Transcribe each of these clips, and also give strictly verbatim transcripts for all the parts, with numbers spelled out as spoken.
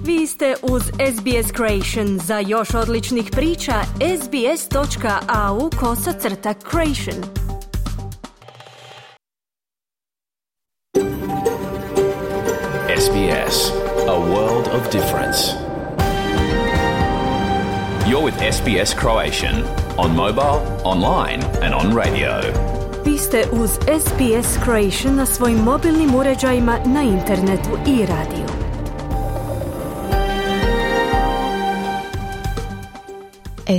Vi ste uz S B S Creation. Za još odličnih priča, sbs.au kosacrta creation. S B S, a world of difference. You're with S B S Croatian on mobile, online and on radio. Vi ste uz S B S Creation na svojim mobilnim uređajima, na internetu i radiju.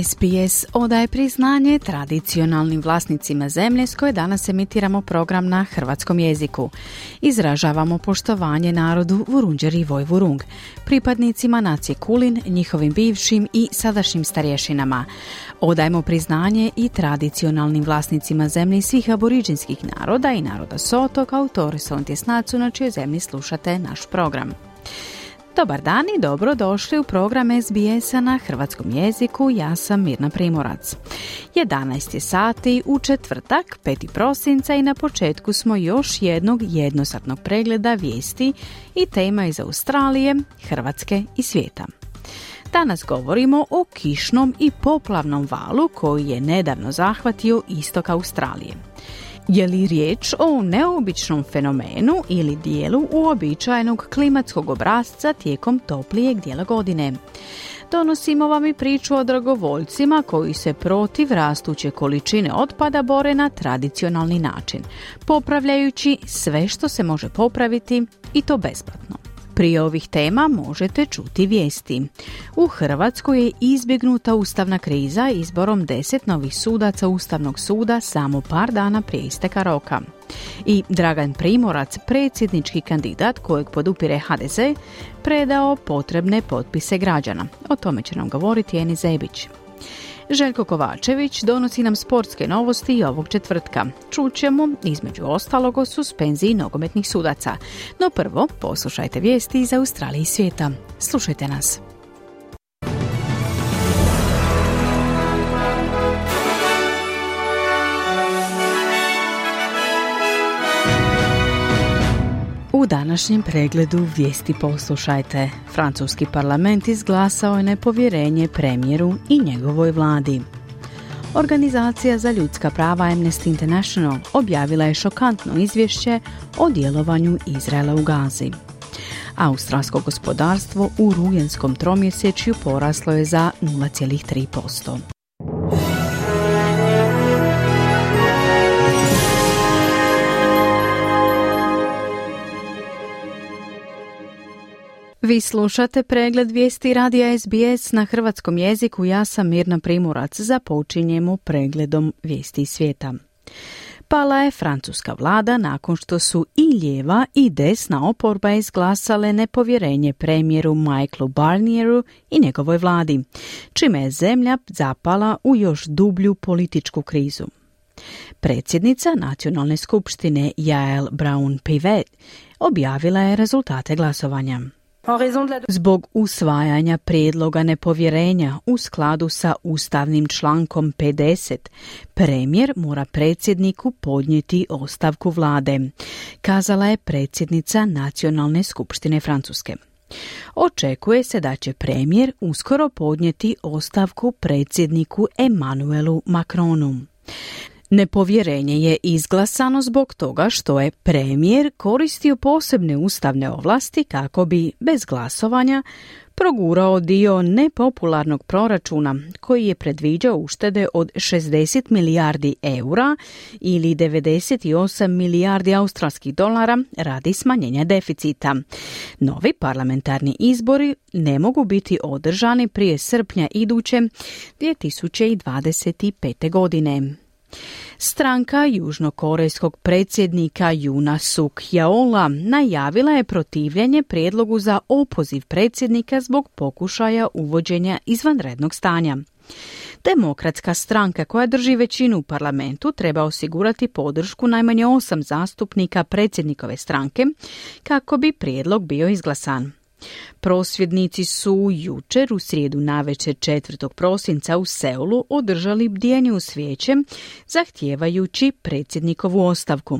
S B S odaje priznanje tradicionalnim vlasnicima zemlje s koje danas emitiramo program na hrvatskom jeziku. Izražavamo poštovanje narodu Vurundjeri i Vojvurung, pripadnicima nacije Kulin, njihovim bivšim i sadašnjim starješinama. Odajemo priznanje i tradicionalnim vlasnicima zemlje svih aboriđinskih naroda i naroda Soto kao Torres Strait Islandsu na čijoj zemlji slušate naš program. Dobar dan i dobrodošli u program S B S-a na hrvatskom jeziku. Ja sam Mirna Primorac. jedanaest je sati u četvrtak, peti prosinca i na početku smo još jednog jednosatnog pregleda vijesti i tema iz Australije, Hrvatske i svijeta. Danas govorimo o kišnom i poplavnom valu koji je nedavno zahvatio istok Australije. Je li riječ o neobičnom fenomenu ili dijelu uobičajenog klimatskog obrasca tijekom toplijeg dijela godine? Donosimo vam i priču o dragovoljcima koji se protiv rastuće količine otpada bore na tradicionalni način, popravljajući sve što se može popraviti i to besplatno. Prije ovih tema možete čuti vijesti. U Hrvatskoj je izbjegnuta ustavna kriza izborom deset novih sudaca Ustavnog suda samo par dana prije isteka roka. I Dragan Primorac, predsjednički kandidat kojeg podupire H D Z, predao potrebne potpise građana. O tome će nam govoriti Eni Zebić. Željko Kovačević donosi nam sportske novosti i ovog četvrtka. Čućemo, između ostalog, o suspenziji nogometnih sudaca. No prvo, poslušajte vijesti iz Australije i svijeta. Slušajte nas. U današnjem pregledu vijesti poslušajte. Francuski parlament izglasao je nepovjerenje premijeru i njegovoj vladi. Organizacija za ljudska prava Amnesty International objavila je šokantno izvješće o djelovanju Izraela u Gazi. Australsko gospodarstvo u rujenskom tromjesečju poraslo je za nula zarez tri posto. Vi slušate pregled vijesti radija S B S na hrvatskom jeziku. Ja sam Mirna Primorac. Započinjemo pregledom vijesti svijeta. Pala je francuska vlada nakon što su i lijeva i desna oporba izglasale nepovjerenje premijeru Michaelu Barnieru i njegovoj vladi, čime je zemlja zapala u još dublju političku krizu. Predsjednica Nacionalne skupštine Yael Braun-Pivet objavila je rezultate glasovanja. Zbog usvajanja prijedloga nepovjerenja u skladu sa ustavnim člankom pedeset, premijer mora predsjedniku podnijeti ostavku vlade, kazala je predsjednica Nacionalne skupštine Francuske. Očekuje se da će premijer uskoro podnijeti ostavku predsjedniku Emmanuelu Macronu. Nepovjerenje je izglasano zbog toga što je premijer koristio posebne ustavne ovlasti kako bi, bez glasovanja, progurao dio nepopularnog proračuna koji je predviđao uštede od šezdeset milijardi eura ili devedeset osam milijardi australskih dolara radi smanjenja deficita. Novi parlamentarni izbori ne mogu biti održani prije srpnja iduće dvije tisuće dvadeset pete. godine. Stranka južnokorejskog predsjednika Yoona Suk Yeola najavila je protivljenje prijedlogu za opoziv predsjednika zbog pokušaja uvođenja izvanrednog stanja. Demokratska stranka koja drži većinu u parlamentu treba osigurati podršku najmanje osam zastupnika predsjednikove stranke kako bi prijedlog bio izglasan. Prosvjednici su jučer u srijedu navečer četvrtog prosinca u Seulu održali bdjenje uz svijeće zahtijevajući predsjednikovu ostavku.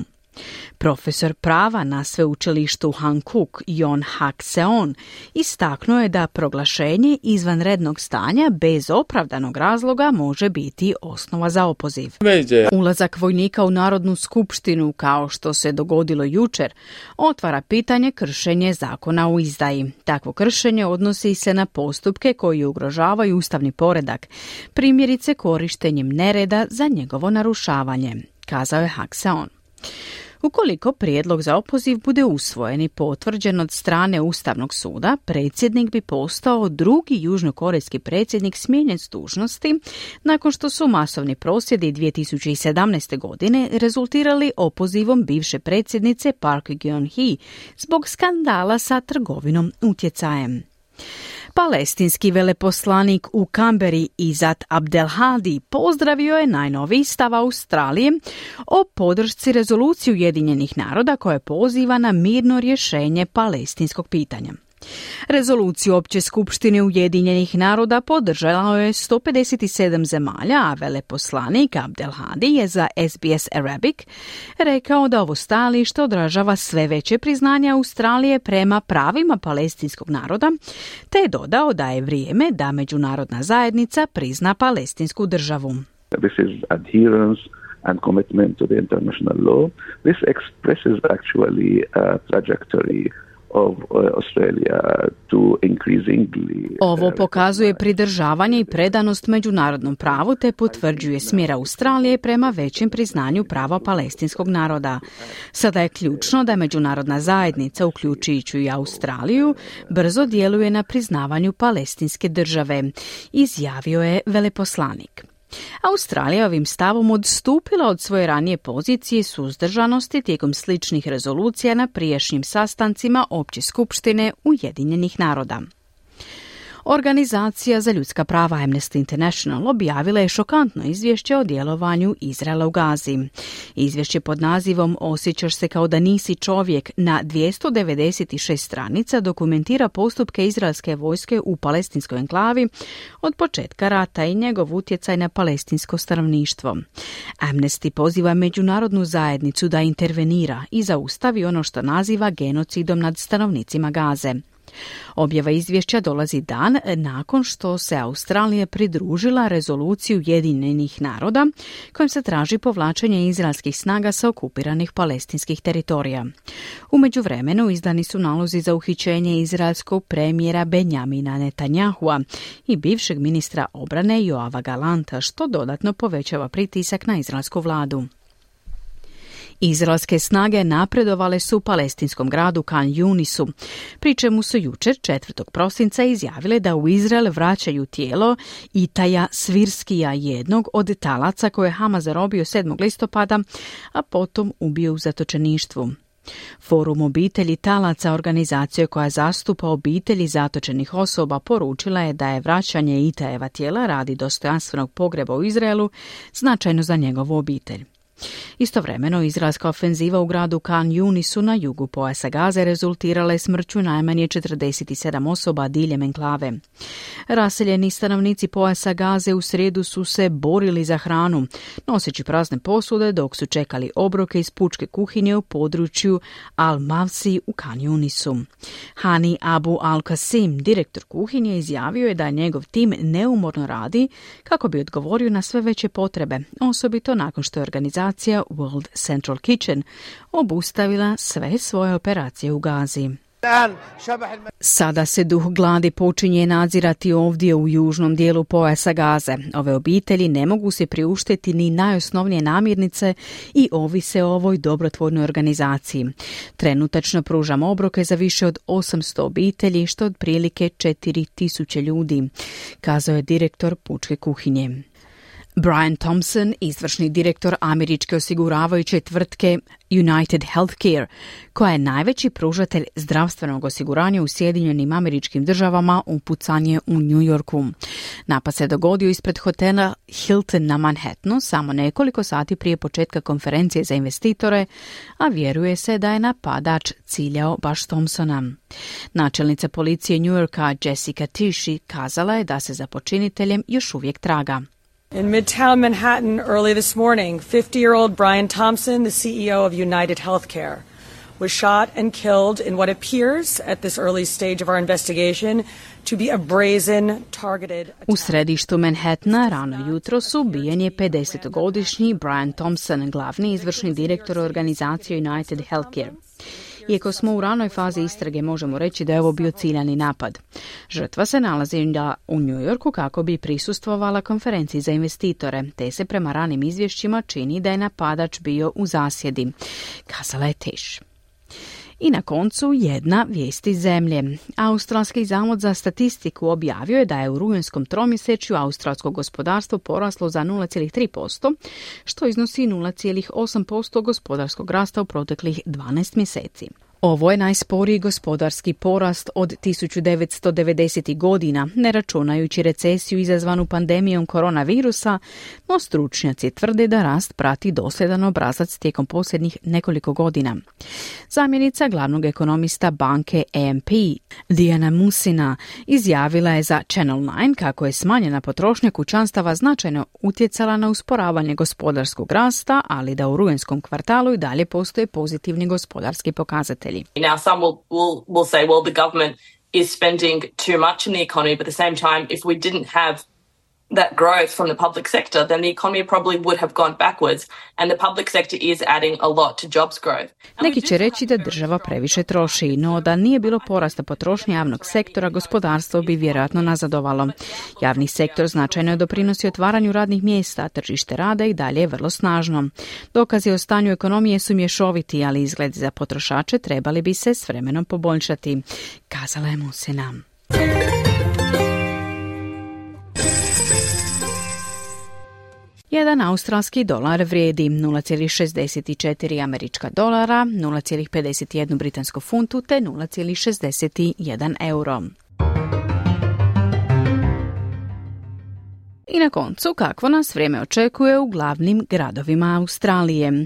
Profesor prava na sveučilištu Hankook Jon Hak-seon istaknuo je da proglašenje izvanrednog stanja bez opravdanog razloga može biti osnova za opoziv. Ulazak vojnika u Narodnu skupštinu, kao što se dogodilo jučer, otvara pitanje kršenje zakona o izdaji. Takvo kršenje odnosi se na postupke koji ugrožavaju ustavni poredak, primjerice korištenjem nereda za njegovo narušavanje, kazao je Hak-seon. Ukoliko prijedlog za opoziv bude usvojen i potvrđen od strane Ustavnog suda, predsjednik bi postao drugi južnokorejski predsjednik smijenjen s dužnosti nakon što su masovni prosvjedi dvije tisuće sedamnaeste. godine rezultirali opozivom bivše predsjednice Park Geun-hye zbog skandala sa trgovinom utjecajem. Palestinski veleposlanik u Kamberi Izat Abdelhadi pozdravio je najnoviji stav Australije o podršci rezoluciji Ujedinjenih naroda koja poziva na mirno rješenje palestinskog pitanja. Rezoluciju Opće skupštine Ujedinjenih naroda podržalo je sto pedeset sedam zemalja, a veleposlanik Abdelhadi je za S B S Arabic rekao da ovo stajalište odražava sve veće priznanje Australije prema pravima palestinskog naroda, te je dodao da je vrijeme da međunarodna zajednica prizna palestinsku državu. This is adherence and commitment to the international law. This expresses actually a trajectory of Australia to increasingly. Ovo pokazuje pridržavanje i predanost međunarodnom pravu te potvrđuje smjer Australije prema većem priznanju prava palestinskog naroda. Sada je ključno da međunarodna zajednica, uključujući i Australiju, brzo djeluje na priznavanju palestinske države, izjavio je veleposlanik. Australija ovim stavom odstupila od svoje ranije pozicije suzdržanosti tijekom sličnih rezolucija na prijašnjim sastancima Opće skupštine Ujedinjenih naroda. Organizacija za ljudska prava Amnesty International objavila je šokantno izvješće o djelovanju Izraela u Gazi. Izvješće pod nazivom Osjećaš se kao da nisi čovjek na dvjesto devedeset šest stranica dokumentira postupke izraelske vojske u palestinskoj enklavi od početka rata i njegov utjecaj na palestinsko stanovništvo. Amnesty poziva međunarodnu zajednicu da intervenira i zaustavi ono što naziva genocidom nad stanovnicima Gaze. Objava izvješća dolazi dan nakon što se Australija pridružila rezoluciju Ujedinjenih naroda kojom se traži povlačenje izraelskih snaga sa okupiranih palestinskih teritorija. U međuvremenu izdani su nalozi za uhićenje izraelskog premijera Benjamina Netanyahua i bivšeg ministra obrane Joava Galanta, što dodatno povećava pritisak na izraelsku vladu. Izraelske snage napredovale su u palestinskom gradu Khan Yunisu, pri čemu su jučer četvrtog prosinca izjavile da u Izrael vraćaju tijelo Itaja Svirskija, jednog od talaca koje je Hamas zarobio sedmog listopada, a potom ubio u zatočeništvu. Forum obitelji talaca, organizacija koja zastupa obitelji zatočenih osoba, poručila je da je vraćanje Itajeva tijela radi dostojanstvenog pogreba u Izraelu značajno za njegovu obitelj. Istovremeno, izraelska ofenziva u gradu Khan Yunisu na jugu pojasa Gaze rezultirala je smrću najmanje četrdeset sedam osoba diljem enklave. Raseljeni stanovnici pojasa Gaze u srijedu su se borili za hranu, noseći prazne posude dok su čekali obroke iz pučke kuhinje u području Al-Mavsi u Khan Yunisu. Hani Abu Al-Qasim, direktor kuhinje, izjavio je da njegov tim neumorno radi kako bi odgovorio na sve veće potrebe, osobito nakon što je organizacija World Central Kitchen obustavila sve svoje operacije u Gazi. Sada se duh gladi počinje nadzirati ovdje u južnom dijelu pojasa Gaze. Ove obitelji ne mogu se priuštiti ni najosnovnije namirnice i ovise o ovoj dobrotvornoj organizaciji. Trenutačno pružam obroke za više od osamsto obitelji, što otprilike četiri tisuće ljudi, kazao je direktor pučke kuhinje. Brian Thompson, izvršni direktor američke osiguravajuće tvrtke United Healthcare, koja je najveći pružatelj zdravstvenog osiguranja u Sjedinjenim Američkim Državama, upucan je u New Yorku. Napad se dogodio ispred hotela Hilton na Manhattanu samo nekoliko sati prije početka konferencije za investitore, a vjeruje se da je napadač ciljao baš Thompsona. Načelnica policije New Yorka Jessica Tisci kazala je da se za počiniteljem još uvijek traga. In Midtown Manhattan early this morning, fifty-year-old Brian Thompson, the C E O of United Healthcare, was shot and killed in what appears at this early stage of our investigation to be a brazen targeted attack. U središtu Manhattana rano jutros ubijen je pedesetogodišnji Brian Thompson, glavni izvršni direktor organizacije United Healthcare. Iako smo u ranoj fazi istrage, možemo reći da je ovo bio ciljani napad. Žrtva se nalazi u New Yorku kako bi prisustvovala konferenciji za investitore, te se prema ranim izvješćima čini da je napadač bio u zasjedi, kazala je Tish. I na koncu jedna vijest iz zemlje. Australski zavod za statistiku objavio je da je u rujenskom tromjesečju australsko gospodarstvo poraslo za nula zarez tri posto, što iznosi nula zarez osam posto gospodarskog rasta u proteklih dvanaest mjeseci. Ovo je najsporiji gospodarski porast od tisuću devetsto devedesetih godina, ne računajući recesiju izazvanu pandemijom koronavirusa, no stručnjaci tvrde da rast prati dosljedan obrazac tijekom posljednjih nekoliko godina. Zamjenica glavnog ekonomista banke A M P, Diana Musina, izjavila je za Channel nine kako je smanjena potrošnja kućanstava značajno utjecala na usporavanje gospodarskog rasta, ali da u rujenskom kvartalu i dalje postoje pozitivni gospodarski pokazatelji. Now, some will, will, will say, well, the government is spending too much in the economy, but at the same time, if we didn't have that growth from the public sector, then the economy probably would have gone backwards, and the public sector is adding a lot to jobs growth. Neki će reći da država previše troši, no da nije bilo porasta potrošnje javnog sektora, gospodarstvo bi vjerojatno nazadovalo. Javni sektor značajno je doprinosi otvaranju radnih mjesta, tržište rada i dalje je vrlo snažno. Dokazi o stanju ekonomije su mješoviti, ali izgledi za potrošače trebali bi se s vremenom poboljšati, kazala je Musina. Jedan australski dolar vrijedi nula zarez šezdeset četiri američka dolara, nula zarez pedeset jedan britansku funtu te nula zarez šezdeset jedan euro. I na koncu, kakvo nas vrijeme očekuje u glavnim gradovima Australije.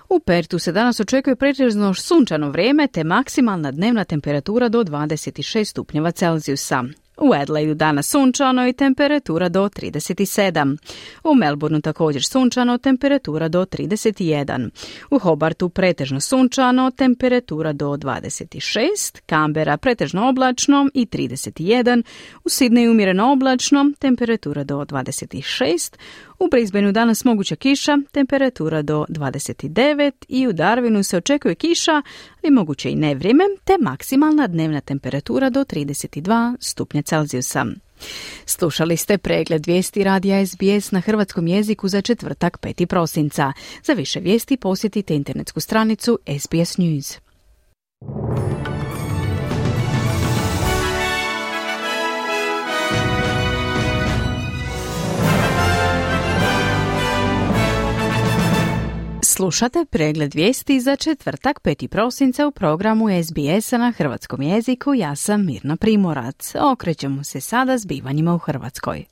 U Pertu se danas očekuje pretežno sunčano vrijeme te maksimalna dnevna temperatura do dvadeset šest stupnjeva Celzijusa. U Adelaidu danas sunčano i temperatura do trideset sedam. U Melbourneu također sunčano, temperatura do trideset jedan. U Hobartu pretežno sunčano, temperatura do dvadeset šest. Canberra pretežno oblačno i trideset jedan. U Sydneyu umjereno oblačno, temperatura do dvadeset šest. U Brisbaneu danas moguća kiša, temperatura do dvadeset devet i u Darwinu se očekuje kiša, ali moguće i nevrijeme, te maksimalna dnevna temperatura do trideset dva stupnja Celzijusa. Slušali ste pregled vijesti radija S B S na hrvatskom jeziku za četvrtak peti prosinca. Za više vijesti posjetite internetsku stranicu S B S News. Slušate pregled vijesti za četvrtak peti prosinca u programu S B S-a na hrvatskom jeziku. Ja sam Mirna Primorac. Okrećemo se sada zbivanjima u Hrvatskoj.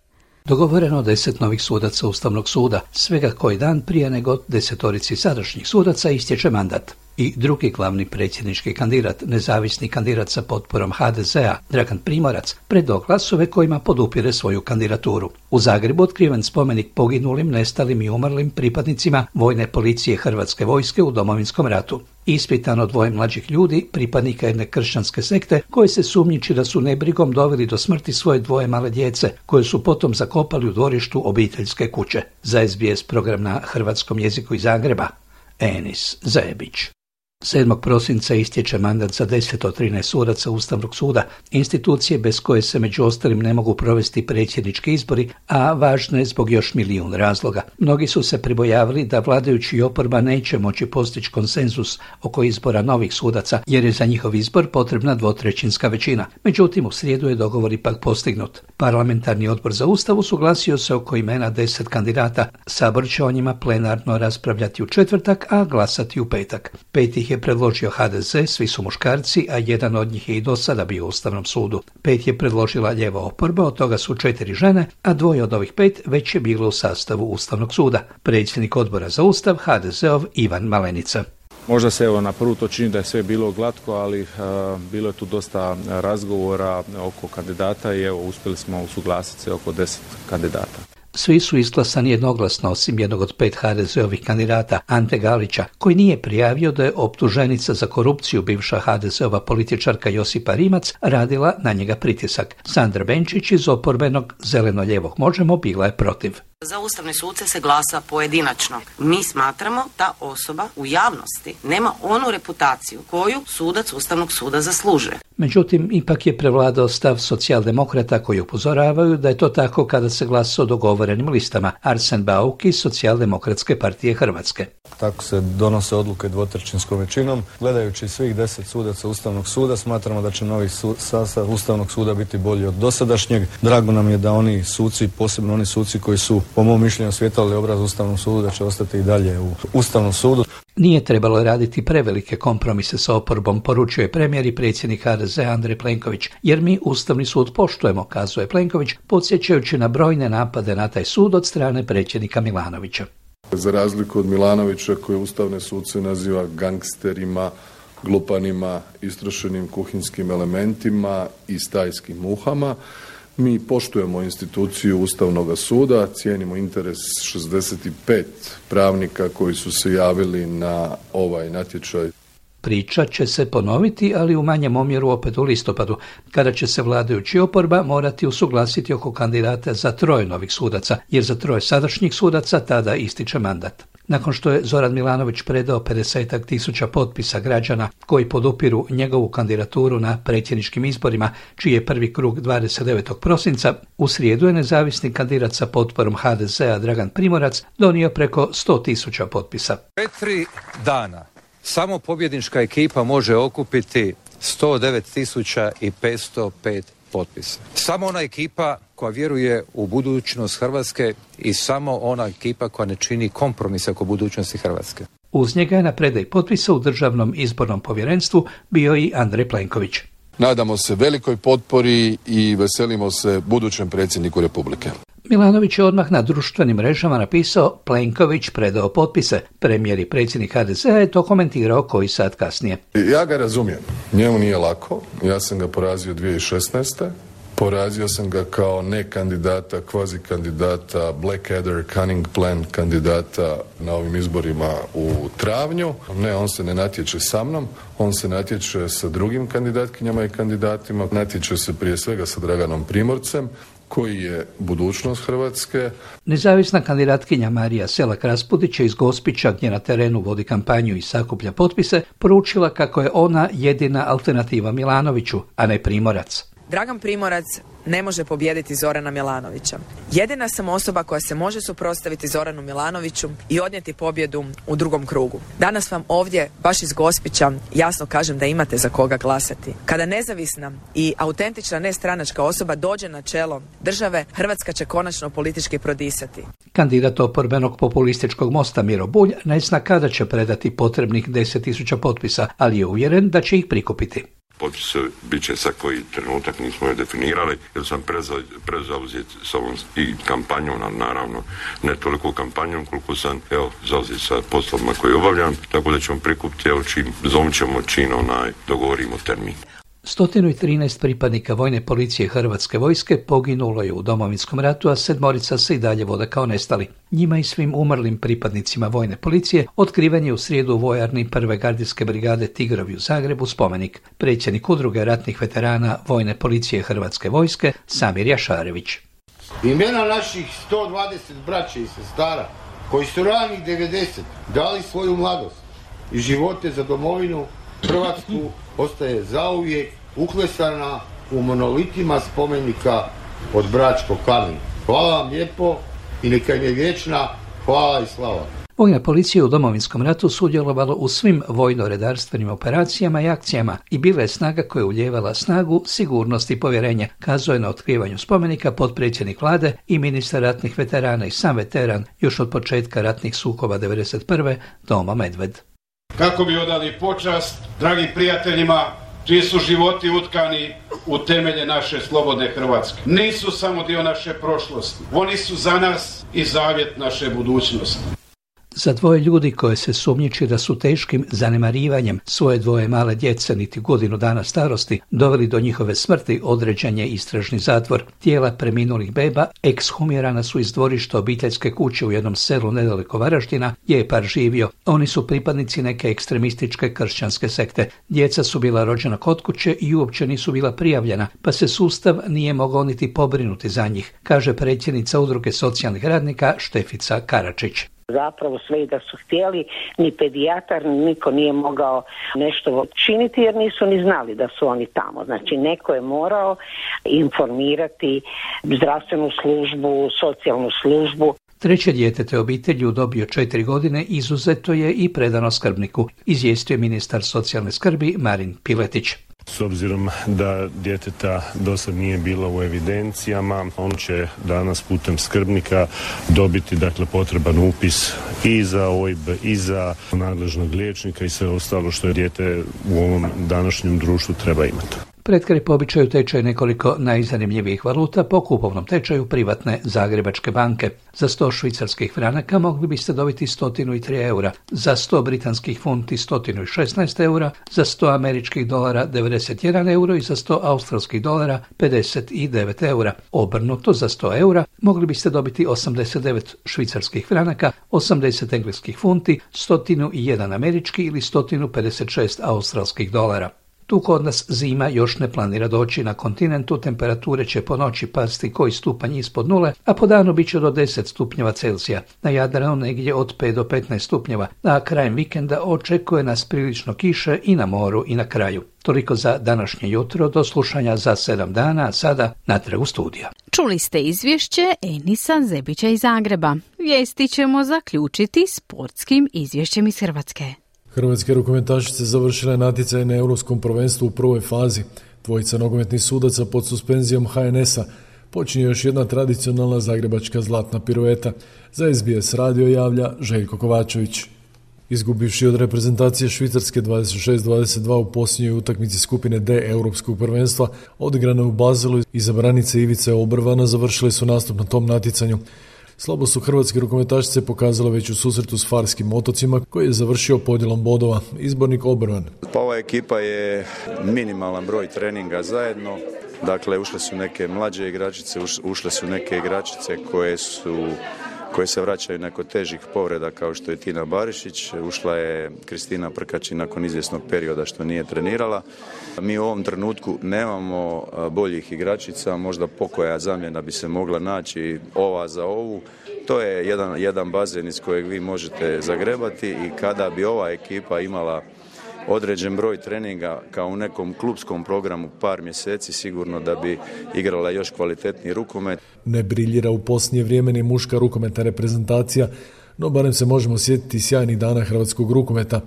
Dogovoreno deset novih sudaca Ustavnog suda, svega koji dan prije nego desetorici sadašnjih sudaca istječe mandat. I drugi glavni predsjednički kandidat, nezavisni kandidat sa potporom H D Z-a, Dragan Primorac, predao glasove kojima podupire svoju kandidaturu. U Zagrebu otkriven spomenik poginulim, nestalim i umrlim pripadnicima vojne policije Hrvatske vojske u Domovinskom ratu. Ispitano dvoje mlađih ljudi, pripadnika jedne kršćanske sekte, koje se sumnjiči da su nebrigom doveli do smrti svoje dvoje male djece, koje su potom zakopali u dvorištu obiteljske kuće. Za S B S program na hrvatskom jeziku iz Zagreba, Enis Zajebić. sedmog prosinca istječe mandat za deset od trinaest sudaca Ustavnog suda, institucije bez koje se među ostalim ne mogu provesti predsjednički izbori, a važno je zbog još milijun razloga. Mnogi su se pribojavali da vladajući i oporba neće moći postići konsenzus oko izbora novih sudaca, jer je za njihov izbor potrebna dvotrećinska većina. Međutim, u srijedu je dogovor ipak postignut. Parlamentarni odbor za Ustav usuglasio se oko imena deset kandidata. Sabor će o njima plenarno raspravljati u četvrtak, a glasati u petak. Pet ih je predložio H D Z, svi su muškarci, a jedan od njih je i do sada bio u Ustavnom sudu. Pet je predložila lijeva oporba, od toga su četiri žene, a dvoje od ovih pet već je bilo u sastavu Ustavnog suda. Predsjednik odbora za Ustav, H D Z-ov Ivan Malenica. Možda se evo na prvu to čini da je sve bilo glatko, ali uh, bilo je tu dosta razgovora oko kandidata i evo uspjeli smo usuglasiti se oko deset kandidata. Svi su izglasani jednoglasno, osim jednog od pet ha de ze-ovih kandidata, Ante Galića, koji nije prijavio da je optuženica za korupciju, bivša ha de ze-ova političarka Josipa Rimac, radila na njega pritisak. Sandra Benčić iz oporbenog Zeleno-lijevog Možemo bila je protiv. Za ustavne suce se glasa pojedinačno. Mi smatramo da osoba u javnosti nema onu reputaciju koju sudac Ustavnog suda zaslužuje. Međutim, ipak je prevladao stav socijaldemokrata koji upozoravaju da je to tako kada se glasa o dogovorenim listama. Arsen Bauk iz Socijaldemokratske partije Hrvatske. Tako se donose odluke dvotrećinskom većinom. Gledajući svih deset sudaca Ustavnog suda, smatramo da će novi su, sastav Ustavnog suda biti bolji od dosadašnjeg. Drago nam je da oni suci, posebno oni suci koji su po mom mišljenju svjetlali obraz Ustavnom sudu, da će ostati i dalje u Ustavnom sudu. Nije trebalo raditi prevelike kompromise sa oporbom, poručio je premijer i predsjednik ha de ze Andrej Plenković, jer mi Ustavni sud poštujemo, kazuje Plenković, podsjećajući na brojne napade na taj sud od strane predsjednika Milanovića. Za razliku od Milanovića koji ustavne suce naziva gangsterima, glupanima, istrošenim kuhinskim elementima i stajskim muhama, mi poštujemo instituciju Ustavnog suda, cijenimo interes šezdeset pet pravnika koji su se javili na ovaj natječaj. Priča će se ponoviti, ali u manjem omjeru opet u listopadu, kada će se vladajući oporba morati usuglasiti oko kandidata za troje novih sudaca, jer za troje sadašnjih sudaca tada ističe mandat. Nakon što je Zoran Milanović predao pedesetak tisuća potpisa građana koji podupiru njegovu kandidaturu na predsjedničkim izborima, čiji je prvi krug dvadeset devetog prosinca, u srijedu je nezavisni kandidat sa potporom ha de ze-a Dragan Primorac donio preko sto tisuća potpisa. Četiri dana samo pobjednička ekipa može okupiti sto devet tisuća petsto pet potpisa. Samo ona ekipa koja vjeruje u budućnost Hrvatske i samo ona ekipa koja ne čini kompromise oko budućnosti Hrvatske. Uz njega je na predaji potpisa u Državnom izbornom povjerenstvu bio i Andrej Plenković. Nadamo se velikoj potpori i veselimo se budućem predsjedniku Republike. Milanović je odmah na društvenim mrežama napisao Plenković predao potpise. Premijer i predsjednik ha de ze-a je to komentirao koji sat kasnije. Ja ga razumijem. Njemu nije lako. Ja sam ga porazio dvije tisuće šesnaeste. Porazio sam ga kao ne kandidata, kvazi kandidata, Blackadder, Cunning Plan kandidata na ovim izborima u travnju. Ne, on se ne natječe sa mnom, on se natječe sa drugim kandidatkinjama i kandidatima. Natječe se prije svega sa Draganom Primorcem, koji je budućnost Hrvatske. Nezavisna kandidatkinja Marija Selak-Raspudić iz Gospića, gdje na terenu vodi kampanju i sakuplja potpise, poručila kako je ona jedina alternativa Milanoviću, a ne Primorac. Dragan Primorac ne može pobijediti Zorana Milanovića. Jedina sam osoba koja se može suprotstaviti Zoranu Milanoviću i odnijeti pobjedu u drugom krugu. Danas vam ovdje, baš iz Gospića, jasno kažem da imate za koga glasati. Kada nezavisna i autentična nestranačka osoba dođe na čelo države, Hrvatska će konačno politički prodisati. Kandidat oporbenog populističkog Mosta Miro Bulj ne zna kada će predati potrebnih deset tisuća potpisa, ali je uvjeren da će ih prikupiti. Potpise bit će sad koji trenutak, nismo je definirali, jer sam prezauzet sa ovom i kampanjom, naravno, ne toliko kampanjom koliko sam, evo, zauzet sa poslovima koje obavljam, tako da ćemo prikupiti, evo, čim, zovem ćemo čin, onaj, dogovorimo termin. sto trinaest pripadnika vojne policije Hrvatske vojske poginulo je u Domovinskom ratu, a sedmorica se i dalje vode kao nestali. Njima i svim umrlim pripadnicima vojne policije otkriven je u srijedu u vojarni prve gardijske brigade Tigrovi u Zagrebu spomenik. Predsjednik udruge ratnih veterana vojne policije Hrvatske vojske Samir Jašarević. Imena naših sto dvadeset braće i sestara koji su ranih devedeset dali svoju mladost i živote za domovinu Hrvatsku ostaje zauvijek uklesana u monolitima spomenika od Bračkog kamena. Hvala vam lijepo i neka im je vječna hvala i slava. Vojna policija u Domovinskom ratu sudjelovala u svim vojno-redarstvenim operacijama i akcijama i bila je snaga koja je uljevala snagu, sigurnost i povjerenje, kazao je na otkrivanju spomenika potpredsjednik vlade i ministar ratnih veterana i sam veteran još od početka ratnih sukoba devedeset prve Tomo Medved. Kako bi odali počast dragim prijateljima čiji su životi utkani u temelje naše slobodne Hrvatske. Nisu samo dio naše prošlosti, oni su za nas i zavjet naše budućnosti. Za dvoje ljudi koje se sumnjiči da su teškim zanemarivanjem svoje dvoje male djece niti godinu dana starosti doveli do njihove smrti određen je istražni zatvor. Tijela preminulih beba ekshumirana su iz dvorišta obiteljske kuće u jednom selu nedaleko Varaždina gdje je par živio. Oni su pripadnici neke ekstremističke kršćanske sekte. Djeca su bila rođena kod kuće i uopće nisu bila prijavljena, pa se sustav nije mogao niti pobrinuti za njih, kaže predsjednica Udruge socijalnih radnika Štefica Karačić. Zapravo sve i da su htjeli, ni pedijatar, ni niko nije mogao nešto činiti jer nisu ni znali da su oni tamo. Znači neko je morao informirati zdravstvenu službu, socijalnu službu. Treće dijete te obitelji u dobi od četiri godine izuzeto je i predano skrbniku, izvijestio je ministar socijalne skrbi Marin Piletić. S obzirom da djeteta dosad nije bilo u evidencijama, on će danas putem skrbnika dobiti dakle potreban upis i za O I B i za nadležnog liječnika i sve ostalo što je dijete u ovom današnjem društvu treba imati. Pred kraj po običaju tečaj nekoliko najzanimljivijih valuta po kupovnom tečaju privatne Zagrebačke banke. Za sto švicarskih franaka mogli biste dobiti sto tri eura, za sto britanskih funti sto šesnaest eura, za sto američkih dolara devedeset jedan euro i za sto australskih dolara pedeset devet eura. Obrnuto, za sto eura mogli biste dobiti osamdeset devet švicarskih franaka, osamdeset engleskih funti, sto jedan američki ili sto pedeset šest australskih dolara. Tu kod nas zima još ne planira doći. Na kontinentu temperature će po noći pasti koji stupanj ispod nule, a po danu bit će do deset stupnjeva Celzija. Na Jadranu negdje od pet do petnaest stupnjeva, a krajem vikenda očekuje nas prilično kiše i na moru i na kraju. Toliko za današnje jutro, do slušanja za sedam dana, a sada natrag u studija. Čuli ste izvješće Enisa Zebića iz Zagreba. Vijesti ćemo zaključiti sportskim izvješćem iz Hrvatske. Hrvatske rukometašice završile natjecaj na Europskom prvenstvu u prvoj fazi. Dvojica nogometnih sudaca pod suspenzijom H N S-a. Počinje još jedna tradicionalna zagrebačka zlatna pirueta. Za S B S radio javlja Željko Kovačević. Izgubivši od reprezentacije Švicarske dvadeset šest dvadeset dva u posljednjoj utakmici skupine D Europskog prvenstva, odigrane u Bazelu, izabranice Ivice Obrvana završile su nastup na tom natjecanju. Slabo su hrvatske rukometašice pokazale već u susretu s Farskim otocima, koji je završio podjelom bodova. Izbornik Obrvan. Pa ova ekipa je minimalan broj treninga zajedno. Dakle, ušle su neke mlađe igračice, ušle su neke igračice koje su koje se vraćaju nakon težih povreda kao što je Tina Barišić. Ušla je Kristina Prkačin nakon izvjesnog perioda što nije trenirala. Mi u ovom trenutku nemamo boljih igračica, možda pokoja zamjena bi se mogla naći ova za ovu. To je jedan, jedan bazen iz kojeg vi možete zagrebati i kada bi ova ekipa imala određen broj treninga kao u nekom klupskom programu par mjeseci, sigurno da bi igrala još kvalitetniji rukomet. Ne briljira u posljednje vrijeme ni muška rukometna reprezentacija, no barem se možemo sjetiti sjajnih dana hrvatskog rukometa.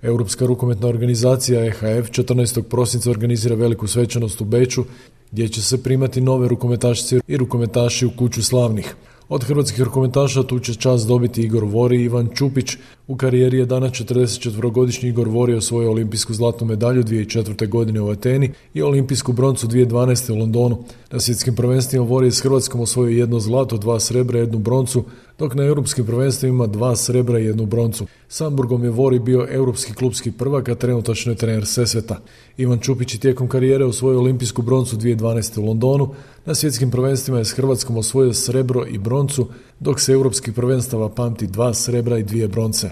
Europska rukometna organizacija E H F četrnaestog prosinca organizira veliku svečanost u Beču, gdje će se primati nove rukometašice i rukometaši u kuću slavnih. Od hrvatskih rukometaša tu će čast dobiti Igor Vori i Ivan Čupić. U karijeri je danas četrdesetčetverogodišnji Igor Vori osvojio olimpijsku zlatnu medalju dvije tisuće četvrte. godine u Ateni i olimpijsku broncu dvije tisuće dvanaeste. u Londonu. Na svjetskim prvenstvima Vori je s Hrvatskom osvojio jedno zlato, dva srebra i jednu broncu, dok na europskim prvenstvima ima dva srebra i jednu broncu. S Hamburgom je Vori bio europski klubski prvak, a trenutačno je trener Sesveta. Ivan Čupić je tijekom karijere osvojio olimpijsku broncu dvije tisuće dvanaeste. u Londonu. Na svjetskim prvenstvima je s Hrvatskom osvojio srebro i broncu, dok se europskih prvenstava pamti dva srebra i dvije bronce.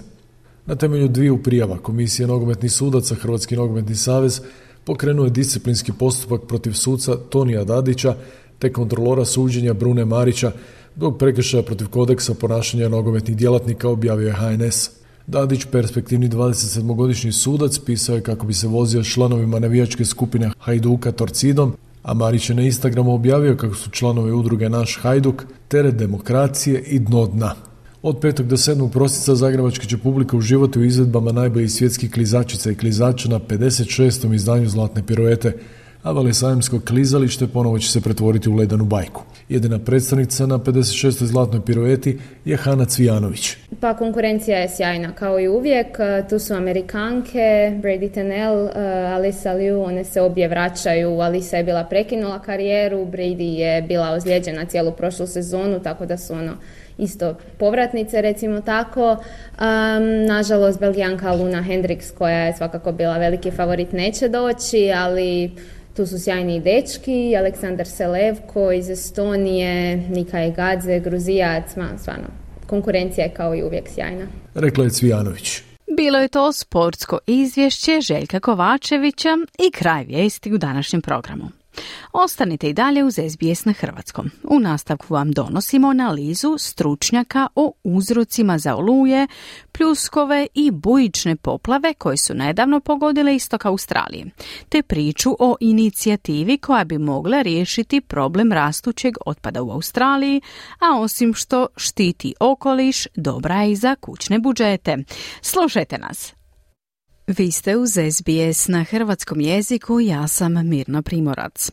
Na temelju dviju prijava Komisija nogometnih sudaca Hrvatski nogometni savez pokrenuo je disciplinski postupak protiv suca Tonija Dadića te kontrolora suđenja Brune Marića zbog prekršaja protiv kodeksa ponašanja nogometnih djelatnika, objavio je H N S. Dadić, perspektivni dvadesetsedmogodišnji sudac, pisao je kako bi se vozio s članovima navijačke skupine Hajduka Torcidom, a Marić je na Instagramu objavio kako su članovi udruge Naš Hajduk teret demokracije i dno dna. Od petog do sedmog prosinca zagrebačka će publika uživati u izvedbama najboljih svjetskih klizačica i klizača na pedeset šestom izdanju Zlatne piruete, a Valesajemsko klizalište ponovo će se pretvoriti u ledenu bajku. Jedina predstavnica na pedeset šestoj Zlatnoj pirueti je Hana Cvijanović. Pa konkurencija je sjajna, kao i uvijek. Tu su Amerikanke, Brady Tennell, Alyssa Liu, one se obje vraćaju. Alyssa je bila prekinula karijeru, Brady je bila ozlijeđena cijelu prošlu sezonu, tako da su ono isto povratnice, recimo tako. Um, nažalost, Belgijanka Luna Hendriks, koja je svakako bila veliki favorit, neće doći, ali tu su sjajni dečki, Aleksandar Selevko iz Estonije, Nikaj Gadze, Gruzijac, stvarno, konkurencija je kao i uvijek sjajna. Rekla je Cvijanović. Bilo je to sportsko izvješće Željka Kovačevića i kraj vijesti u današnjem programu. Ostanite i dalje uz S B S na hrvatskom. U nastavku vam donosimo analizu stručnjaka o uzrocima za oluje, pljuskove i bujične poplave koje su nedavno pogodile istok Australije, te priču o inicijativi koja bi mogla riješiti problem rastućeg otpada u Australiji, a osim što štiti okoliš, dobra je i za kućne budžete. Slušajte nas! Vi ste uz S B S na hrvatskom jeziku, ja sam Mirna Primorac.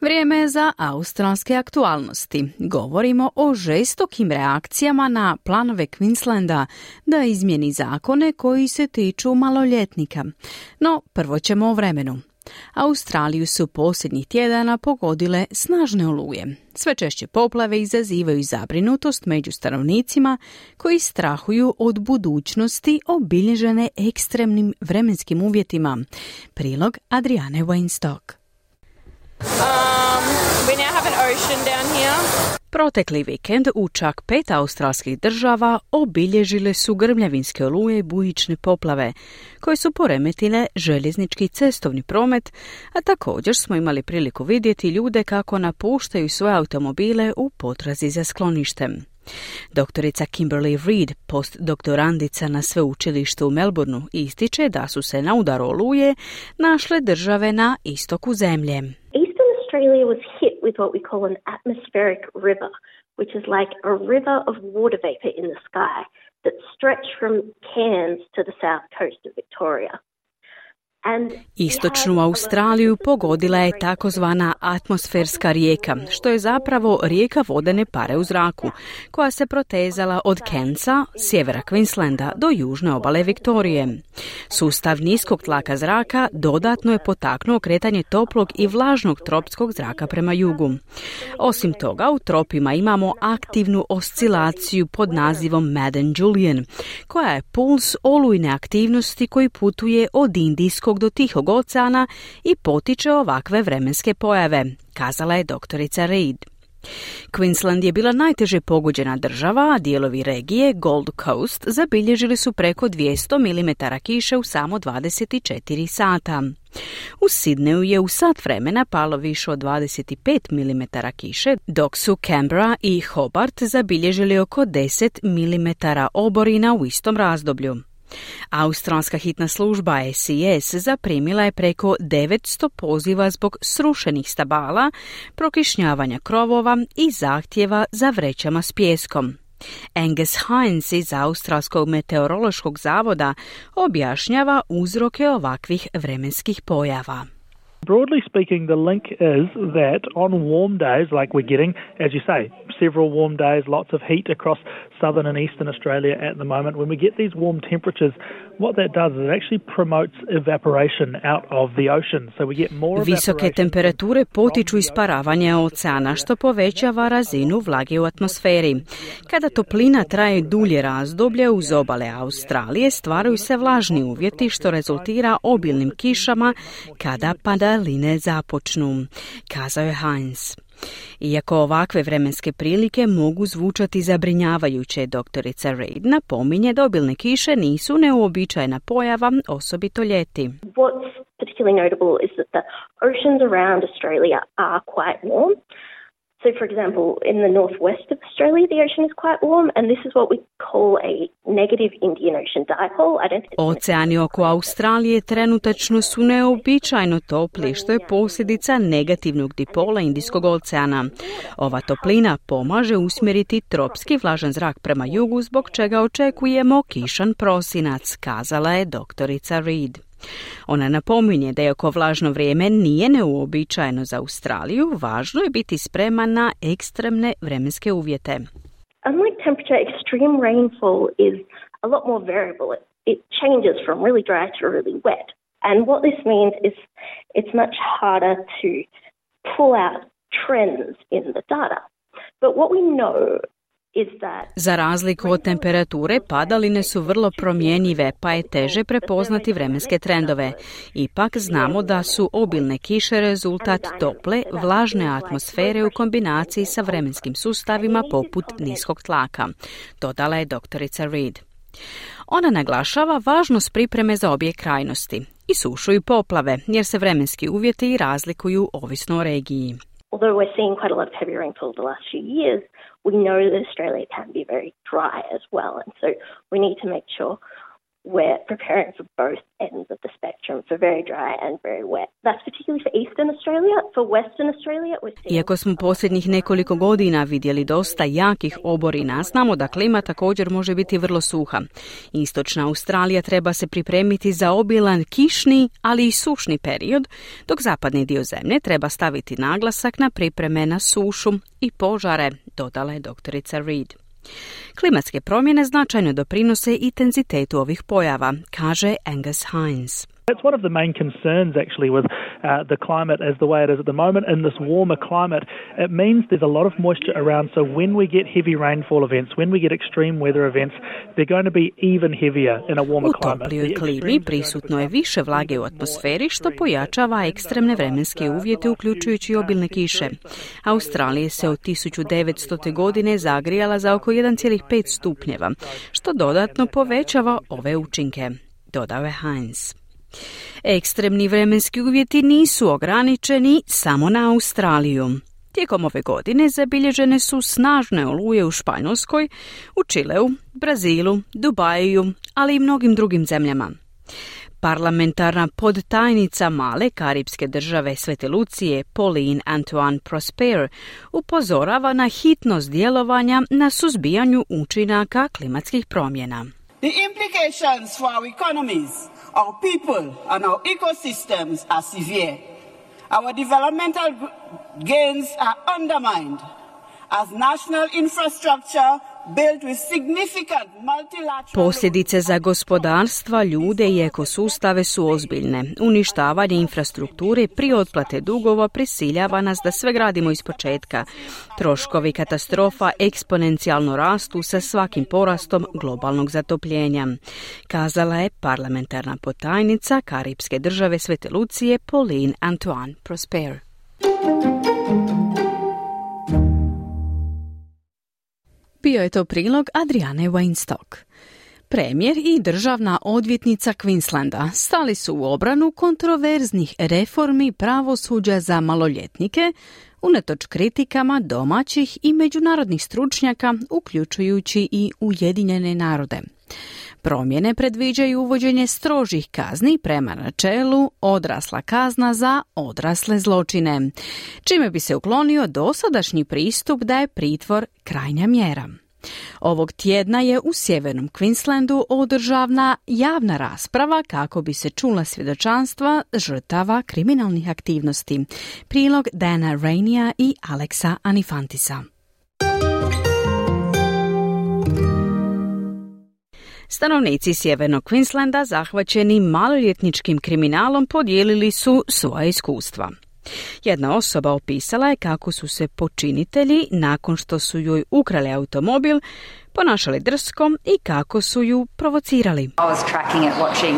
Vrijeme je za australske aktualnosti. Govorimo o žestokim reakcijama na planove Queenslanda da izmijeni zakone koji se tiču maloljetnika. No, prvo ćemo o vremenu. Australiju su posljednjih tjedana pogodile snažne oluje. Sve češće poplave izazivaju zabrinutost među stanovnicima koji strahuju od budućnosti obilježene ekstremnim vremenskim uvjetima. Prilog Adriane Weinstock. Um, we now have an ocean down here. Protekli vikend u čak pet australskih država obilježile su grmljavinske oluje i bujične poplave, koje su poremetile željeznički cestovni promet, a također smo imali priliku vidjeti ljude kako napuštaju svoje automobile u potrazi za skloništem. Doktorica Kimberly Reid, postdoktorandica na sveučilištu u Melbourneu, ističe da su se na udaru oluje našle države na istoku zemlje. Australia was hit with what we call an atmospheric river, which is like a river of water vapor in the sky that stretched from Cairns to the south coast of Victoria. Istočnu Australiju pogodila je takozvana atmosferska rijeka, što je zapravo rijeka vodene pare u zraku, koja se protezala od Cairnsa, sjevera Queenslanda, do južne obale Viktorije. Sustav niskog tlaka zraka dodatno je potaknuo kretanje toplog i vlažnog tropskog zraka prema jugu. Osim toga, u tropima imamo aktivnu oscilaciju pod nazivom Madden Julian, koja je puls olujne aktivnosti koji putuje od Indijskog do Tihog oceana i potiče ovakve vremenske pojave, kazala je doktorica Reid. Queensland je bila najteže pogođena država, a dijelovi regije Gold Coast zabilježili su preko dvjesto milimetara kiše u samo dvadeset četiri sata. U Sidneju je u sat vremena palo više od dvadeset pet milimetara kiše, dok su Canberra i Hobart zabilježili oko deset milimetara oborina u istom razdoblju. Australska hitna služba S I S zaprimila je preko devetsto poziva zbog srušenih stabala, prokišnjavanja krovova i zahtjeva za vrećama s pijeskom. Angus Hines iz Australskog meteorološkog zavoda objašnjava uzroke ovakvih vremenskih pojava. Broadly speaking, the link is that on warm days, like we're getting, as you say, several warm days, lots of heat across southern and eastern Australia at the moment. When we get these warm temperatures, what that does is it actually promotes evaporation out of the ocean. So we get more evaporation. Visoke temperature potiču isparavanje oceana, što povećava razinu vlage u atmosferi. Kada toplina traje dulje razdoblje uz obale Australije, stvaraju se vlažni uvjeti, što rezultira obilnim kišama kada padaline započnu, kazao je Hines. Iako ovakve vremenske prilike mogu zvučati zabrinjavajuće, doktorica Reid napominje da obilne kiše nisu neuobičajena pojava, osobito ljeti. What's particularly notable is that the oceans around Australia are quite warm. So, for example, in the northwest of Australia, the ocean is quite warm, and this is what we call a negative Indian Ocean dipole. I don't think Oceani oko Australije trenutačno su neobičajno topli, što je posljedica negativnog dipola Indijskog oceana. Ova toplina pomaže usmjeriti tropski vlažan zrak prema jugu, zbog čega očekujemo kišan prosinac, kazala je doktorica Reid. Ona napominje da iako vlažno vrijeme nije neuobičajeno za Australiju, važno je biti spreman na ekstremne vremenske uvjete. Unlike temperature, extreme rainfall is a lot more variable. It, it changes from really dry to really wet. And what this means is it's much harder to pull out trends in the data. But what we know Za razliku od temperature, padaline su vrlo promjenjive, pa je teže prepoznati vremenske trendove. Ipak znamo da su obilne kiše rezultat tople, vlažne atmosfere u kombinaciji sa vremenskim sustavima poput niskog tlaka, dodala je doktorica Reed. Ona naglašava važnost pripreme za obje krajnosti, i sušu i poplave, jer se vremenski uvjeti razlikuju ovisno o regiji. Although we're seeing quite a lot of heavy rainfall the last few years, we know that Australia can be very dry as well, and so we need to make sure we're preparing for both ends of the spectrum, for very dry and very wet. That's particularly for eastern Australia. For western Australia, we're seeing... Iako smo posljednjih nekoliko godina vidjeli dosta jakih oborina, znamo da klima također može biti vrlo suha. Istočna Australija treba se pripremiti za obilan kišni, ali i sušni period, dok zapadni dio zemlje treba staviti naglasak na pripreme na sušu i požare, dodala je doktorica Reed. Klimatske promjene značajno doprinose intenzitetu ovih pojava, kaže Angus Hines. That's one of the main concerns actually with uh, the climate as the way it is at the moment. In this warmer climate, it means there's a lot of moisture around, so when we get heavy rainfall events, when we get extreme weather events, they're going to be even heavier in a warmer climate. U toplijoj klimi prisutno je više vlage u atmosferi, što pojačava ekstremne vremenske uvjete, uključujući obilne kiše. Australija se od tisuću devetstote. godine zagrijala za oko jedan zarez pet stupnjeva, što dodatno povećava ove učinke, dodao je Hines. Ekstremni vremenski uvjeti nisu ograničeni samo na Australiju. Tijekom ove godine zabilježene su snažne oluje u Španjolskoj, u Čileu, Brazilu, Dubaju, ali i mnogim drugim zemljama. Parlamentarna podtajnica male karipske države Svete Lucije, Pauline Antoine Prosper, upozorava na hitnost djelovanja na suzbijanju učinaka klimatskih promjena. The implications for our economies, our people and our ecosystems are severe. Our developmental gains are undermined as national infrastructure built with significant multilateral... Posljedice za gospodarstva, ljude i ekosustave su ozbiljne. Uništavanje infrastrukture prije otplate dugova prisiljava nas da sve gradimo ispočetka. Troškovi katastrofa eksponencijalno rastu sa svakim porastom globalnog zatopljenja, kazala je parlamentarna potajnica karipske države Svete Lucije Pauline Antoine Prosper. Bio je to prilog Adriane Weinstock. Premijer i državna odvjetnica Queenslanda stali su u obranu kontroverznih reformi pravosuđa za maloljetnike, unatoč kritikama domaćih i međunarodnih stručnjaka, uključujući i Ujedinjene narode. Promjene predviđaju uvođenje strožih kazni prema načelu odrasla kazna za odrasle zločine, čime bi se uklonio dosadašnji pristup da je pritvor krajnja mjera. Ovog tjedna je u sjevernom Queenslandu održavna javna rasprava kako bi se čula svjedočanstva žrtava kriminalnih aktivnosti. Prilog Dana Rainija i Alexa Anifantisa. Stanovnici sjevernog Queenslanda zahvaćeni maloljetničkim kriminalom podijelili su svoja iskustva. Jedna osoba opisala je kako su se počinitelji, nakon što su joj ukrali automobil, ponašali drsko i kako su ju provocirali. I was tracking it, watching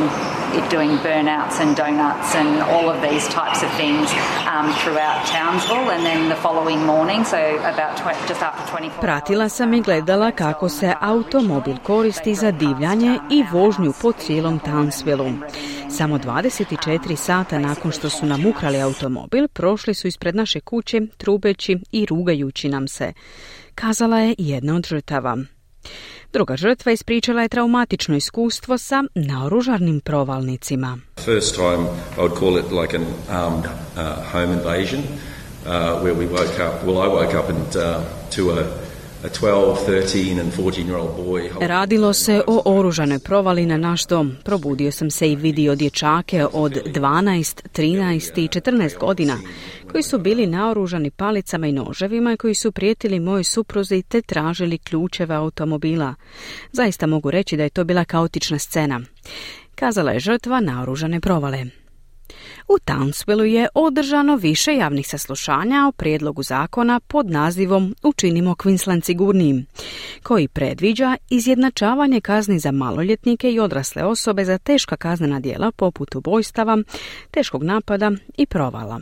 it doing burnouts and donuts and all of these types of things um, throughout Townsville, and then the following morning, so about tw- just after twenty-four. Pratila sam i gledala kako se automobil koristi za divljanje i vožnju po cijelom Townsvilleu. Samo dvadeset četiri sata nakon što su nam ukrali automobil, prošli su ispred naše kuće trubeći i rugajući nam se, kazala je jedna od žrtava. Druga žrtva ispričala je traumatično iskustvo sa naoružanim provalnicima. First time I would call it like an armed uh, home invasion uh, where we woke up, well I woke up and uh, to a a twelve, thirteen and fourteen year old boy. Radilo se o oružanoj provali na naš dom. Probudio sam se i vidio dječake od dvanaest, trinaest i četrnaest godina koji su bili naoružani palicama i noževima i koji su prijetili mojoj supruzi te tražili ključeve automobila. Zaista mogu reći da je to bila kaotična scena, kazala je žrtva naoružane provale. U Townsvillu je održano više javnih saslušanja o prijedlogu zakona pod nazivom Učinimo Queensland sigurnijim, koji predviđa izjednačavanje kazni za maloljetnike i odrasle osobe za teška kaznena djela poput ubojstava, teškog napada i provala.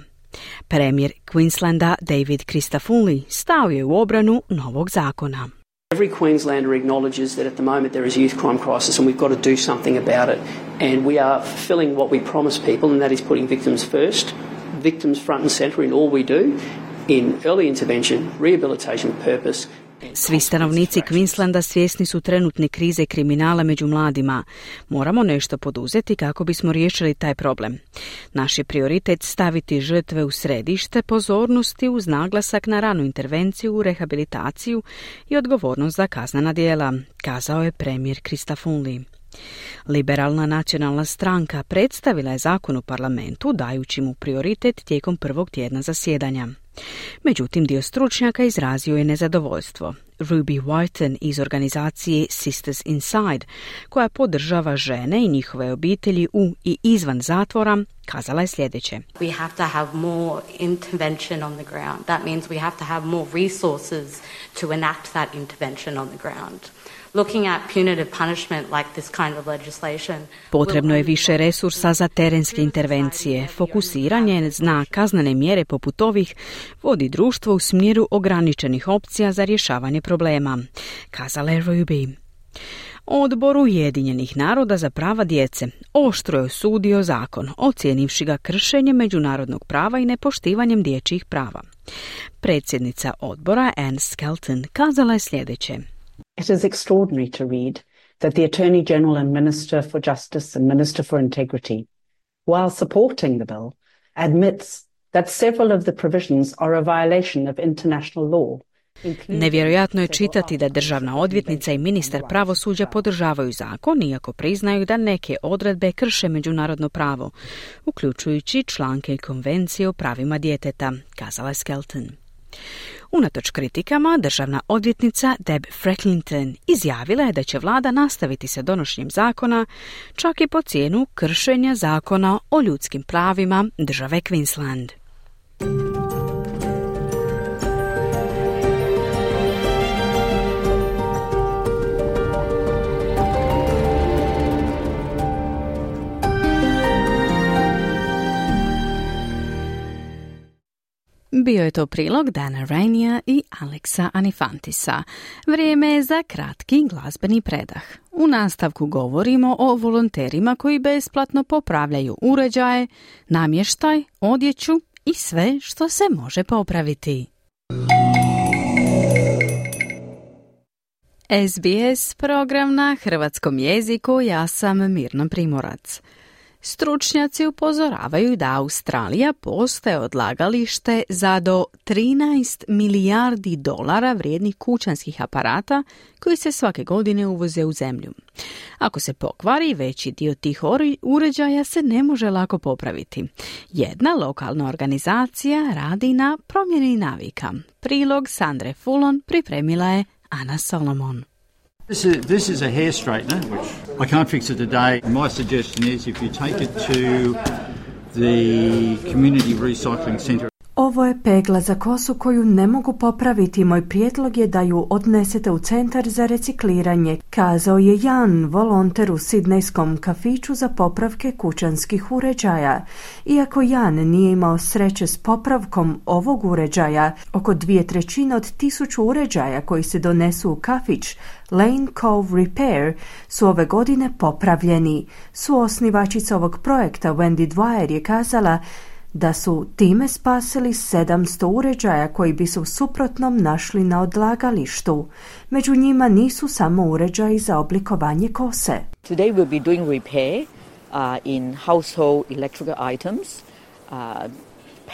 Premijer Queenslanda David Christodoulou stao je u obranu novog zakona. Every Queenslander acknowledges that at the moment there is a youth crime crisis and we've got to do something about it. And we are fulfilling what we promise people, and that is putting victims first, victims front and centre in all we do, in early intervention, rehabilitation purpose. Svi stanovnici Queenslanda svjesni su trenutne krize kriminala među mladima. Moramo nešto poduzeti kako bismo riješili taj problem. Naš je prioritet staviti žrtve u središte pozornosti uz naglasak na ranu intervenciju, rehabilitaciju i odgovornost za kaznena djela, kazao je premijer Christodoulou. Liberalna nacionalna stranka predstavila je zakon u parlamentu dajući mu prioritet tijekom prvog tjedna zasjedanja. Međutim, dio stručnjaka izrazio je nezadovoljstvo. Ruby Whiten iz organizacije Sisters Inside, koja podržava žene i njihove obitelji u i izvan zatvora, kazala je sljedeće. We have to have more intervention on the ground. That means we have to have more resources to enact that intervention on the ground. Looking at punitive punishment like this kind of legislation. Potrebno je više resursa za terenske intervencije. Fokusiranje na kaznene mjere poput ovih vodi društvo u smjeru ograničenih opcija za rješavanje problema, kazala je Ruby. Odbor Ujedinjenih naroda za prava djece oštro je osudio zakon, ocijenivši ga kršenjem međunarodnog prava i nepoštivanjem dječjih prava. Predsjednica odbora Anne Skelton kazala je sljedeće. It is extraordinary to read that the Attorney General and Minister for Justice and Minister for Integrity, while supporting the bill, admits that several of the provisions are a violation of international law. Nevjerojatno je čitati da državna odvjetnica i ministar pravosuđa podržavaju zakon, iako priznaju da neke odredbe krše međunarodno pravo, uključujući članke Konvencije o pravima djeteta, kazala je Skelton. Unatoč kritikama, državna odvjetnica Deb Frecklington izjavila je da će vlada nastaviti sa donošenjem zakona, čak i po cijenu kršenja zakona o ljudskim pravima države Queensland. Bio je to prilog Dana Rainija i Alexa Anifantisa. Vrijeme je za kratki glazbeni predah. U nastavku govorimo o volonterima koji besplatno popravljaju uređaje, namještaj, odjeću i sve što se može popraviti. S B S program na hrvatskom jeziku, ja sam Mirna Primorac. Stručnjaci upozoravaju da Australija postaje odlagalište za do trinaest milijardi dolara vrijednih kućanskih aparata koji se svake godine uvoze u zemlju. Ako se pokvari, veći dio tih uređaja se ne može lako popraviti. Jedna lokalna organizacija radi na promjeni navika. Prilog Sandre Fulon pripremila je Ana Solomon. This is, this is a hair straightener. I can't fix it today. My suggestion is if you take it to the community recycling centre. Ovo je pegla za kosu koju ne mogu popraviti. Moj prijedlog je da ju odnesete u centar za recikliranje, kazao je Jan, volonter u sidnejskom kafiću za popravke kućanskih uređaja. Iako Jan nije imao sreće s popravkom ovog uređaja, oko dvije trećine od tisuću uređaja koji se donesu u kafić Lane Cove Repair su ove godine popravljeni. Suosnivačica ovog projekta Wendy Dwyer je kazala da su time spasili sedamsto uređaja koji bi se u suprotnom našli na odlagalištu. Među njima nisu samo uređaji za oblikovanje kose. Today we'll be doing repair uh, in household electrical items, uh,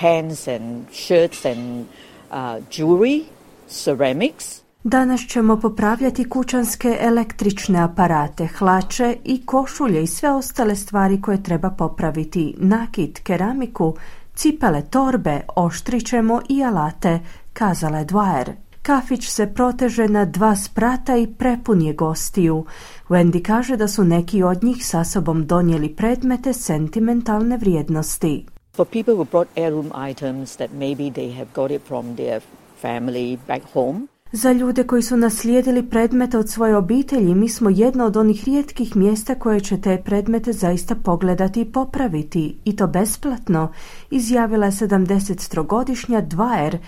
pants and shirts and uh, jewelry, ceramics. Danas ćemo popravljati kućanske električne aparate, hlače i košulje i sve ostale stvari koje treba popraviti, nakit, keramiku, cipele, torbe, oštrićemo i alate, kazala je Dwyer. Kafić se proteže na dva sprata i prepun je gostiju. Wendy kaže da su neki od njih sa sobom donijeli predmete sentimentalne vrijednosti. For people who brought heirloom items that maybe they have got it from their family back home. Za ljude koji su naslijedili predmete od svoje obitelji, mi smo jedno od onih rijetkih mjesta koje će te predmete zaista pogledati i popraviti, i to besplatno, izjavila je sedamdesettrogodišnja Dwyer,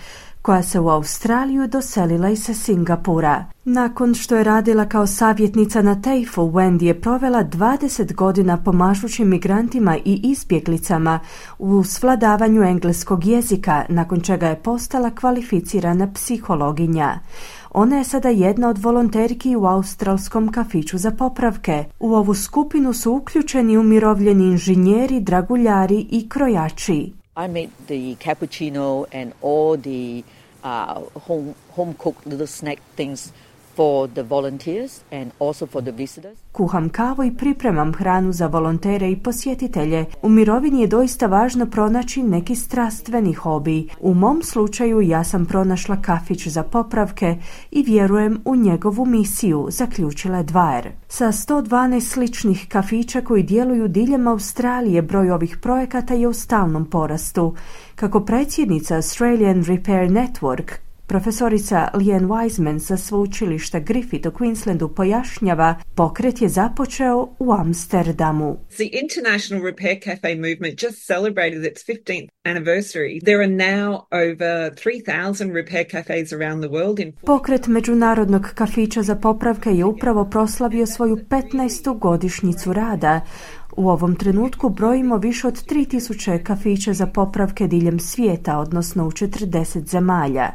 koja se u Australiju doselila iz Singapura. Nakon što je radila kao savjetnica na Teifu, Wendy je provela dvadeset godina pomažući migrantima i izbjeglicama u svladavanju engleskog jezika, nakon čega je postala kvalificirana psihologinja. Ona je sada jedna od volonterki u australskom kafiću za popravke. U ovu skupinu su uključeni umirovljeni inženjeri, draguljari i krojači. I made the cappuccino and all the uh, home home cooked little snack things for the volunteers and also for the visitors. Kuham kavu i pripremam hranu za volontere i posjetitelje. U mirovini je doista važno pronaći neki strastveni hobi. U mom slučaju ja sam pronašla kafić za popravke i vjerujem u njegovu misiju, zaključila je Dwyer. Sa sto dvanaest sličnih kafića koji djeluju diljem Australije, broj ovih projekata je u stalnom porastu. Kako predsjednica Australian Repair Network, profesorica Leanne Wiseman sa sveučilišta Griffith u Queenslandu pojašnjava, pokret je započeo u Amsterdamu. The International Repair Cafe movement just celebrated its fifteenth anniversary. There are now over three thousand repair cafes around the world. In... Pokret međunarodnog kafića za popravke je upravo proslavio svoju petnaestu godišnjicu rada. U ovom trenutku brojimo više od tri tisuće kafića za popravke diljem svijeta, odnosno u četrdeset zemalja.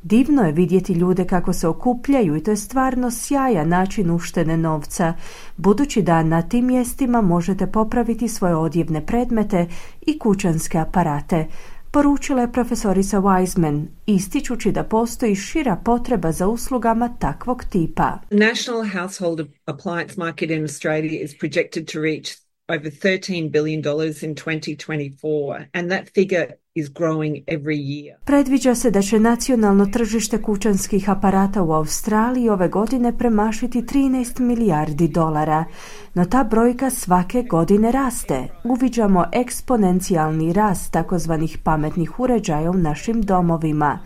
Divno je vidjeti ljude kako se okupljaju i to je stvarno sjajan način uštede novca, budući da na tim mjestima možete popraviti svoje odjevne predmete i kućanske aparate, poručila je profesorica Wiseman, ističući da postoji šira potreba za uslugama takvog tipa. The national household appliance market in Australia is projected to reach over thirteen billion dollars in twenty twenty-four, and that figure is growing every year. Predviđa se da će nacionalno tržište kućanskih aparata u Australiji ove godine premašiti trinaest milijardi dolara, no ta brojka svake godine raste. Uviđamo eksponencijalni rast takozvanih pametnih uređaja u našim domovima.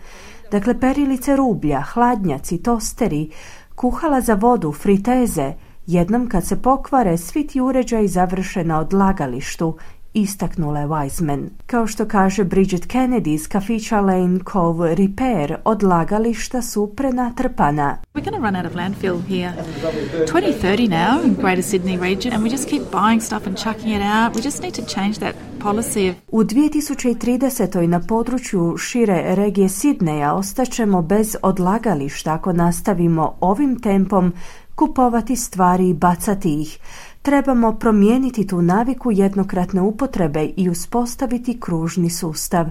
Dakle, perilice rublja, hladnjaci, tosteri, kuhala za vodu, friteze. Jednom kad se pokvare, svi ti uređaji završe na odlagalištu, istaknula je Wiseman. Kao što kaže Bridget Kennedy iz kafića Lane Cove Repair, odlagališta su prenatrpana. We're going to run out of landfill here. twenty thirty now in Greater Sydney region, and we just keep buying stuff and chucking it out. We just need to change that policy of... U dvije tisuće trideset. na području šire regije Sidneja ostaćemo bez odlagališta ako nastavimo ovim tempom kupovati stvari i bacati ih. Trebamo promijeniti tu naviku jednokratne upotrebe i uspostaviti kružni sustav,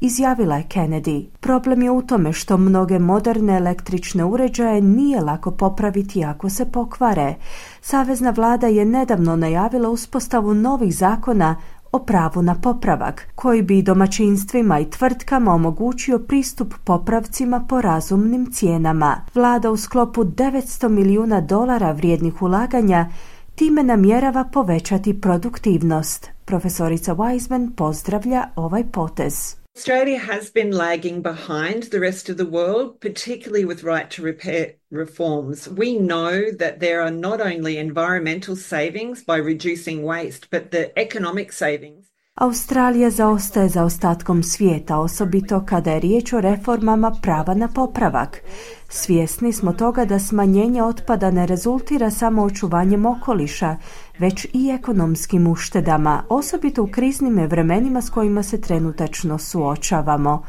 izjavila je Kennedy. Problem je u tome što mnoge moderne električne uređaje nije lako popraviti ako se pokvare. Savezna vlada je nedavno najavila uspostavu novih zakona o pravu na popravak, koji bi domaćinstvima i tvrtkama omogućio pristup popravcima po razumnim cijenama. Vlada u sklopu devetsto milijuna dolara vrijednih ulaganja time namjerava povećati produktivnost. Profesorica Wiseman pozdravlja ovaj potez. Australia has been lagging behind the rest of the world, particularly with right to repair reforms. We know that there are not only environmental savings by reducing waste, but the economic savings. Australija zaostaje za ostatkom svijeta, osobito kada je riječ o reformama prava na popravak. Svjesni smo toga da smanjenje otpada ne rezultira samo očuvanjem okoliša, već i ekonomskim uštedama, osobito u kriznim vremenima s kojima se trenutačno suočavamo.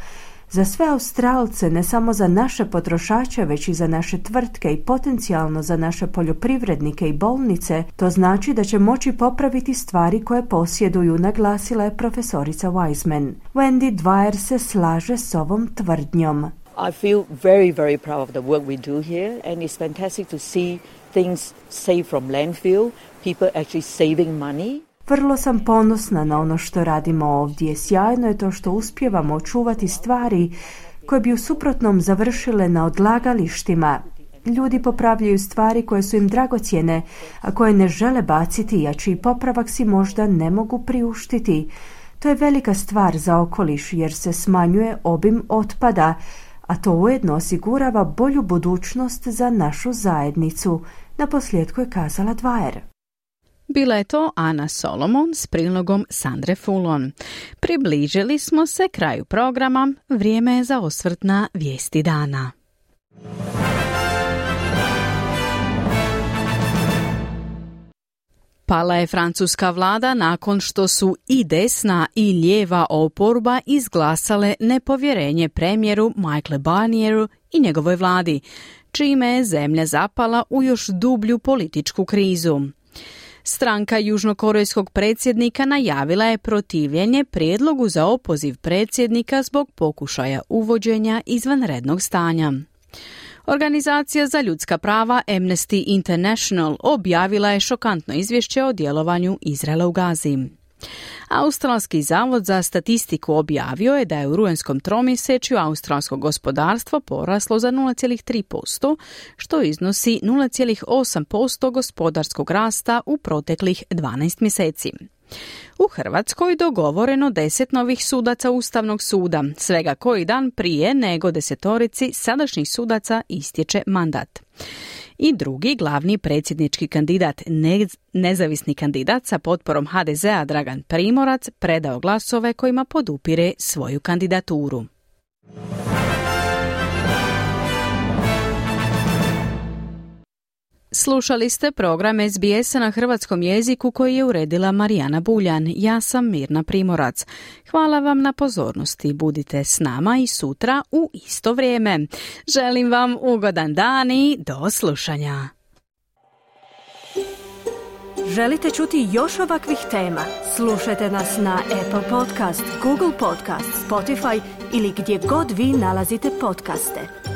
Za sve Australce, ne samo za naše potrošače, već i za naše tvrtke i potencijalno za naše poljoprivrednike i bolnice, to znači da će moći popraviti stvari koje posjeduju, naglasila je profesorica Wiseman. Wendy Dwyer se slaže s ovom tvrdnjom. I feel very, very proud of the work we do here, and it's fantastic to see things saved from landfill, people actually saving money. Vrlo sam ponosna na ono što radimo ovdje. Sjajno je to što uspijevamo očuvati stvari koje bi u suprotnom završile na odlagalištima. Ljudi popravljaju stvari koje su im dragocjene, a koje ne žele baciti, a čiji popravak si možda ne mogu priuštiti. To je velika stvar za okoliš jer se smanjuje obim otpada, a to ujedno osigurava bolju budućnost za našu zajednicu, naposljetku je kazala Dwyer. Bila je to Ana Solomon s prilogom Sandre Fulon. Približili smo se kraju programa, vrijeme je za osvrt na vijesti dana. Pala je francuska vlada nakon što su i desna i lijeva oporba izglasale nepovjerenje premijeru Michaelu Barnieru i njegovoj vladi, čime je zemlja zapala u još dublju političku krizu. Stranka južnokorejskog predsjednika najavila je protivljenje prijedlogu za opoziv predsjednika zbog pokušaja uvođenja izvanrednog stanja. Organizacija za ljudska prava Amnesty International objavila je šokantno izvješće o djelovanju Izraela u Gazi. Australski zavod za statistiku objavio je da je u rujnskom tromjesečju australsko gospodarstvo poraslo za nula zarez tri posto, što iznosi nula zarez osam posto gospodarskog rasta u proteklih dvanaest mjeseci. U Hrvatskoj dogovoreno deset novih sudaca Ustavnog suda, svega koji dan prije nego desetorici sadašnjih sudaca istječe mandat. I drugi glavni predsjednički kandidat, ne, nezavisni kandidat sa potporom ha de zea Dragan Primorac, predao glasove kojima podupire svoju kandidaturu. Slušali ste program es be esa na hrvatskom jeziku koji je uredila Marijana Buljan. Ja sam Mirna Primorac. Hvala vam na pozornosti. Budite s nama i sutra u isto vrijeme. Želim vam ugodan dan i do slušanja. Želite čuti još ovakvih tema? Slušajte nas na Apple Podcast, Google Podcast, Spotify ili gdje god vi nalazite podcaste.